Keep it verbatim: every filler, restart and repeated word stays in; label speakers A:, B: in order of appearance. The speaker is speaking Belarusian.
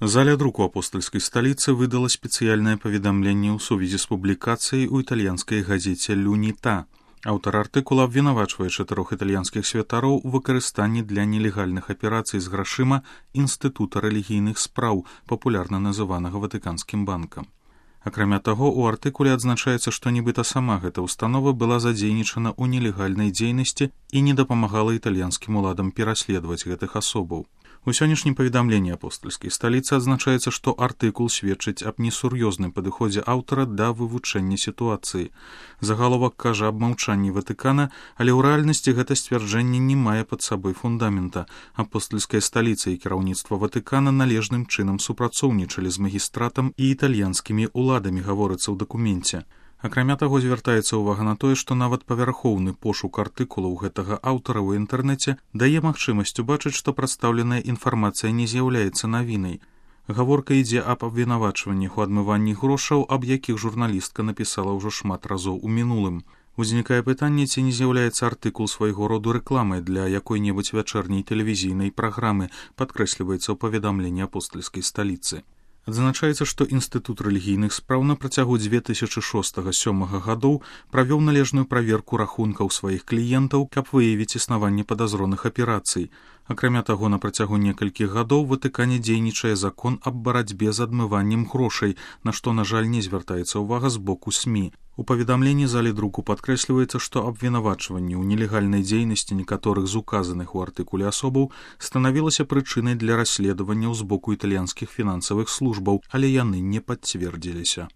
A: Заля друку апостольскай сталіцы выдала спецыяльнае паведамленне ў сувязі з публікацыяй у італьянскай газеце «L'Unità». Аўтар артыкула абвінавачвае чатырох італьянскіх святароў у выкарыстанні для нелегальных аперацый з грашыма Інстытута рэлігійных спраў, папулярна называнага Ватыканскім банкам. Акрамя таго, у артыкуле адзначаецца, што нібыта сама гэта ўстанова была задзейнічана ў нелегальнай дзейнасці і не дапамагала італьянскім уладам пераследаваць гэтых асобаў. У сённяшнім паведамленні апостальскай сталіцы адзначаецца, што артыкул сведчыць аб несур'ёзным падыходзе аўтара да вывучэння сітуацыі. Загаловак кажа аб маўчанні Ватыкана, але ў рэальнасці гэта сцвярджэнне не мае пад сабой фундамента. Апостальская сталіца і кіраўніцтва Ватыкана належным чынам супрацоўнічалі з магістратам і італьянскімі ўладамі, гаворыцца ў дакуменце. Акрамя таго, звяртаецца ўвага на тое, што нават павярхоўны пошук артыкулаў гэтага аўтара ў інтэрнэце дае магчымасць убачыць, што прадстаўленая інфармацыя не з'яўляецца навінай. Гаворка ідзе аб абвінавачваннях у адмыванні грошаў, аб якіх журналістка напісала ўжо шмат разоў у мінулым. Узнікае пытанне, ці не з'яўляецца артыкул свайго роду рэкламай для якой-небудзь вячэрняй тэлевізійнай праграмы, падкрэсліваецца ў паведамленні апостальскай сталіцы. Адзначаецца, што Інстытут рэлігійных спраў на працягу дзве тысячы шостага-сёмага гадоў правёў належную праверку рахункаў сваіх кліентаў, каб выявіць існаванне падазроных аперацый. Акрамя таго, на працягу некалькіх гадоў у Ватыкане дзейнічае закон аб барацьбе з адмываннем грошай, на што, на жаль, не звяртаецца ўвага з боку СМІ. У паведамленні залі друку падкрэсліваецца, што абвінавачванне ў нелегальнай дзейнасці некаторых з указаных у артыкуле асобаў станавілася прычынай для расследаванняў з боку італьянскіх фінансавых службаў, але яны не пацвердзіліся.